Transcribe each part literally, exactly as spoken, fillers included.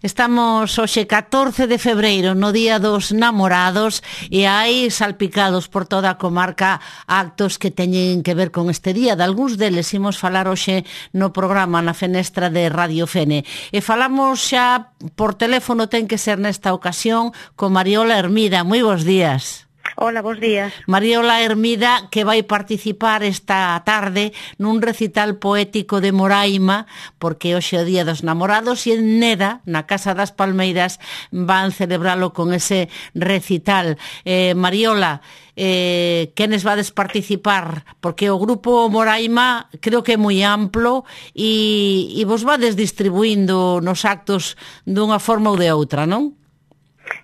Estamos hoxe catorce de febreiro, no Día dos Namorados, e hai salpicados por toda a comarca actos que teñen que ver con este día. De algúns deles imos falar hoxe no programa na fenestra de Radio Fene. E falamos xa por teléfono, ten que ser nesta ocasión, con Mariola Hermida. Moi bons días. Hola, bons días. Mariola Hermida, que vai participar esta tarde nun recital poético de Moraima, porque hoxe é o Día dos Namorados, e en Neda, na Casa das Palmeiras, van celebralo con ese recital. Eh, Mariola, eh, quenes vades participar? Porque o grupo Moraima creo que é moi amplo e, e vos vades distribuindo nos actos dunha forma ou de outra, non?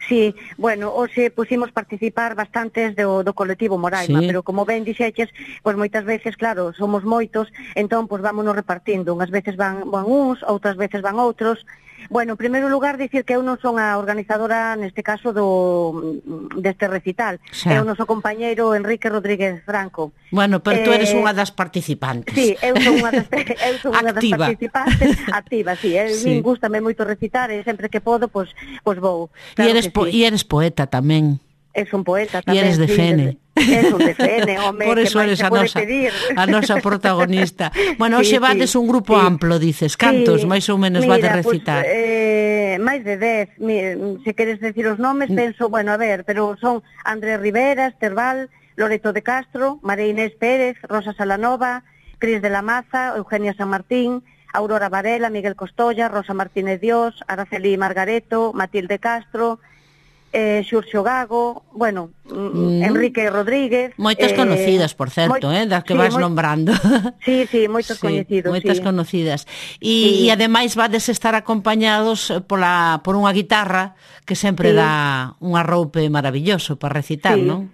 Sí, bueno, hoxe pusimos participar bastantes do, do colectivo Moraima, sí. Pero como ben dixeches, pois moitas veces, claro, somos moitos, entón, pois vámonos repartindo, unhas veces van, van uns, outras veces van outros. Bueno, en primeiro lugar, dicir que eu non son a organizadora, neste caso, do deste recital. Sí. É o noso compañeiro Enrique Rodríguez Franco. Bueno, pero eh, tú eres unha das participantes. Sí, eu son unha das, eu son unha das participantes. Activa, sí. A sí. Min gustame moito recitar e sempre que podo, pois, pois vou. Claro, e, eres po sí. e eres poeta tamén. Es un poeta tamén. E eres de sí, Fene. Es un de Fene, home, por eso que eres a nosa, a nosa protagonista. Bueno, sí, hoxe vades sí, un grupo sí. amplo, dices. Cantos, sí. máis ou menos, Mira, vades recitar? Pues, eh, máis de dez. Se queres decir os nomes, penso, bueno, a ver, pero son Andrés Rivera, Esterbal, Loreto de Castro, María Inés Pérez, Rosa Salanova, Cris de la Maza, Eugenia San Martín, Aurora Varela, Miguel Costolla, Rosa Martínez Dios, Araceli Margareto, Matilde Castro, eh, Xurxo Gago, bueno, mm. Enrique Rodríguez. Moitas eh, conocidas, por certo, moi, eh, das que sí, vas moi, nombrando. Sí, sí, moitos sí, coñecidos. Moitas sí. conocidas. E, sí. e ademais vades estar acompañados pola, por unha guitarra que sempre sí. dá un arroupe maravilloso para recitar, sí. non?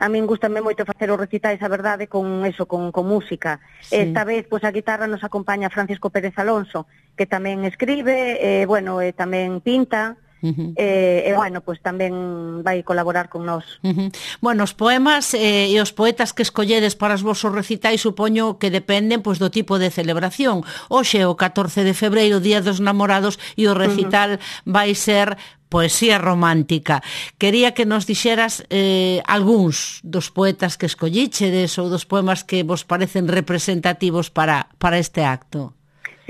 A min gustame moito facer os recitais, a verdade, con eso, con, con música. Sí. Esta vez, pois, a guitarra nos acompaña Francisco Pérez Alonso, que tamén escribe, eh, bueno, e tamén pinta. Uh-huh. E, e bueno, pois tamén vai colaborar con nós. Uh-huh. Bueno, os poemas eh, e os poetas que escolledes para os vosos recitais supoño que dependen pois do tipo de celebración. Hoxe o catorce de febreiro, Día dos Namorados, e o recital uh-huh. vai ser poesía romántica. Quería que nos dixeras eh, algúns dos poetas que escollichedes ou dos poemas que vos parecen representativos para, para este acto.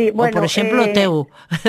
Sí, bueno, o, por exemplo, eh, o teu,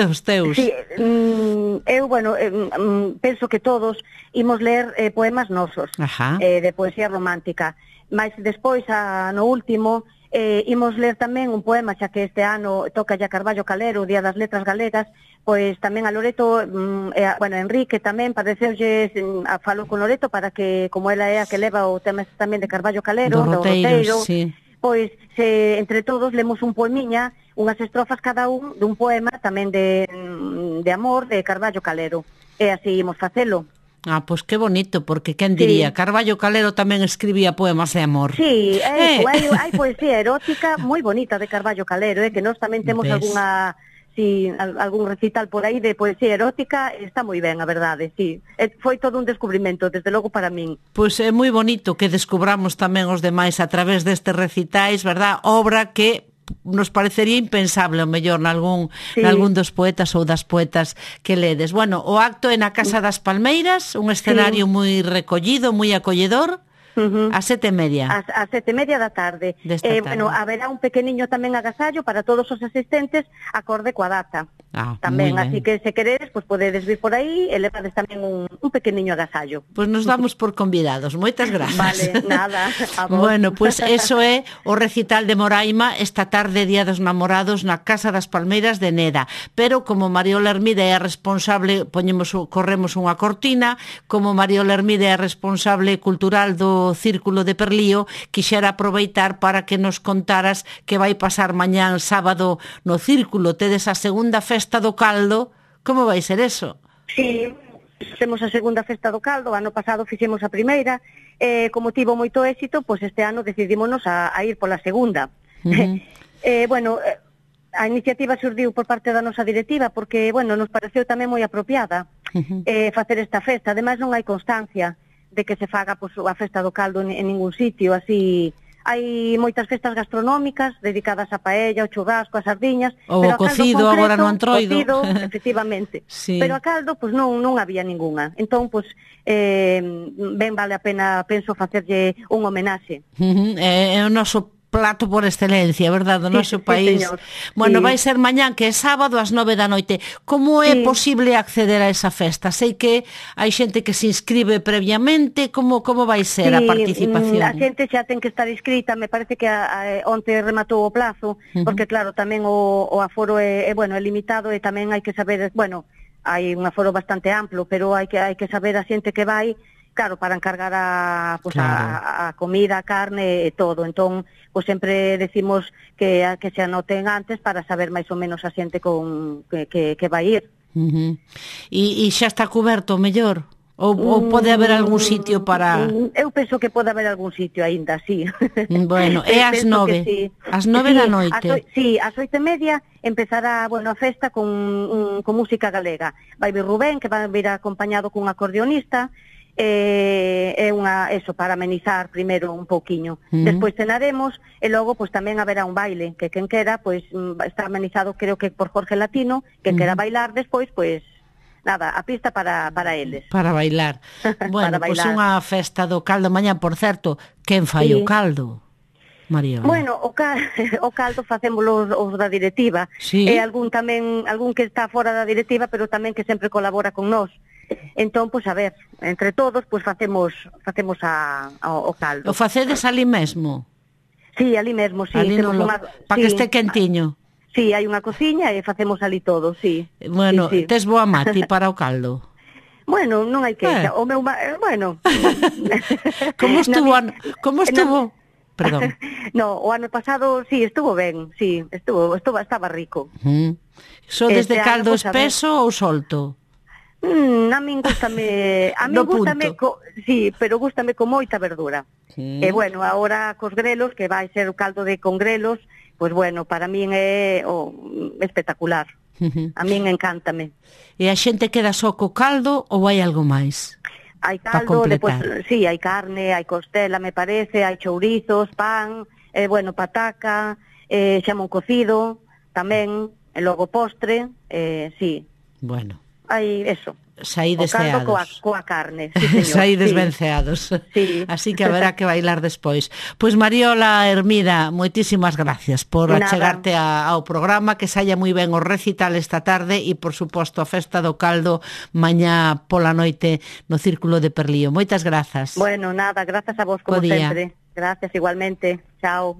os teus. Sí, mm, eu, bueno, eh, mm, penso que todos imos ler eh, poemas nosos, eh, de poesía romántica. Mas despois, a, no último, eh, imos ler tamén un poema, xa que este ano toca ya Carballo Calero, o Día das Letras Galegas, pois tamén a Loreto, mm, eh, bueno, Enrique tamén, pareceulle, a falo con Loreto para que, como ela é a que leva o tema tamén de Carballo Calero, do roteiro, sí. Pois, se, entre todos, lemos un poemiña, unhas estrofas cada un dun poema tamén de, de amor de Carballo Calero. E así imos facelo. Ah, pois que bonito, porque quen diría, sí. Carballo Calero tamén escribía poemas de amor. Sí, hai, eh. hai, hai poesía erótica moi bonita de Carballo Calero, eh, que nós tamén temos ¿ves? Alguna... Si, algún recital por aí de poesía erótica, está moi ben, a verdade, sí. Foi todo un descubrimento, desde logo para min. Pois é moi bonito que descubramos tamén os demais a través destes recitais, verdad? Obra que nos parecería impensable, o mellor, nalgún, sí. nalgún dos poetas ou das poetas que ledes. Bueno, o acto é na Casa das Palmeiras, un escenario sí. moi recollido, moi acolledor. Uh-huh. A sete e media. A, a sete e media da tarde. Eh, tarde. Bueno, haberá un pequeniño tamén agasallo para todos os asistentes acorde coa data. Ah, tamén, así que se queredes, pues podedes vir por aí e levades tamén un, un pequeniño agasallo. Pois pues nos damos por convidados. Moitas grazas. Vale, nada. A vos. Bueno, pois pues eso é o recital de Moraima esta tarde, Día dos Namorados, na Casa das Palmeiras de Neda. Pero como Mariola Hermida é a responsable, poñemos, corremos unha cortina, como Mariola Hermida é a responsable cultural do Círculo de Perlío, quixera aproveitar para que nos contaras que vai pasar mañán sábado no Círculo. Tedes a segunda festa do caldo. Como vai ser eso? Sí, temos a segunda festa do caldo. Ano pasado fixemos a primeira, eh, como tivo moito éxito, pois este ano decidímonos a, a ir pola segunda. Uh-huh. eh, bueno, a iniciativa surdiu por parte da nosa directiva porque, bueno, nos pareceu tamén moi apropiada uh-huh. eh, facer esta festa. Ademais non hai constancia de que se faga pois, a festa do caldo en, en ningún sitio así hai moitas festas gastronómicas dedicadas a paella, ao churrasco, a sardiñas, ou o cocido concreto, agora no Antroido. Cocido, efectivamente. Sí. Pero a caldo, pois non, non había ningunha. Entón, pois, eh, ben vale a pena, penso, facerlle un homenaxe. Uh-huh. É, é o noso plato por excelencia, verdade, do noso sí, país. Sí, bueno, sí. vai ser mañán, que é sábado, ás nove da noite. Como é sí. posible acceder a esa festa? Sei que hai xente que se inscribe previamente, como como vai ser sí, a participación? A xente xa ten que estar inscrita, me parece que a, a, onte rematou o plazo, uh-huh. porque claro, tamén o, o aforo é, é, bueno, é limitado e tamén hai que saber, bueno, hai un aforo bastante amplo, pero hai que hai que saber a xente que vai, claro, para encargar a, pues, claro. a, a comida, a carne e todo. Entón, pues sempre decimos que que se anoten antes para saber máis ou menos a xente con que, que, que vai ir. Uh-huh. E, e xa está coberto, mellor? Ou, ou pode haber algún sitio para... Eu penso que pode haber algún sitio aínda, sí. Bueno, é ás nove. Sí. Ás nove sí, da noite. As, sí, ás oito e media empezará, bueno, a festa con, un, con música galega. Vai vir Rubén, que vai vir acompañado cun acordeonista, é eh, unha eso para amenizar primeiro un pouquiño. Uh-huh. Despois cenaremos e logo pois tamén haberá un baile, que quen quera pois está amenizado, creo que por Jorge Latino, que uh-huh. quera bailar despois, pois nada, a pista para para eles. Para bailar. Bueno, para pois bailar. Unha festa do caldo mañá, por certo, quen fai sí. o caldo? Mariola. Bueno, o, cal, o caldo facémolo os, os da directiva. Sí. E algún tamén, algún que está fora da directiva, pero tamén que sempre colabora con nós. Entón, pois a ver, entre todos, pois facemos facemos a, a, o caldo. O facedes ali mesmo? Sí, ali mesmo, sí. Ali no lo... Para sí. que este quentiño? Sí, hai unha cociña e facemos ali todo, sí. Bueno, sí, sí. tes boa mati para o caldo? Bueno, non hai queixa. Eh. O meu, bueno. Como estuvo? Na, como estuvo? Na... Perdón. No, o ano pasado sí, estuvo ben, sí, estuvo, estuvo estaba rico. Uh-huh. So desde este caldo ano, pues, espeso ou solto? Mm, a min gústame, a min no gústame, co, sí, pero gústame con moita verdura. Sí. E bueno, agora cos grelos, que vai ser o caldo de con grelos, pois pues bueno, para min é oh, espectacular. Uh-huh. A min encántame. E a xente queda só co caldo ou hai algo máis? Hai caldo, depois, sí, hai carne, hai costela, me parece, hai chourizos, pan, eh, bueno, pataca, eh, xamón cocido, tamén, e logo postre, eh, sí. Bueno. Hai eso. Saídes ceados. Coa, coa carne, sí, señor. Saídes sí. ben ceados. Sí. Así que haberá que bailar despois. Pois Mariola Hermida, moitísimas gracias por Nada. achegarte a, ao programa, que saia moi ben o recital esta tarde e, por suposto, a festa do caldo mañá pola noite no Círculo de Perlío. Moitas grazas. Bueno, nada, grazas a vos como sempre. Gracias igualmente. Chao.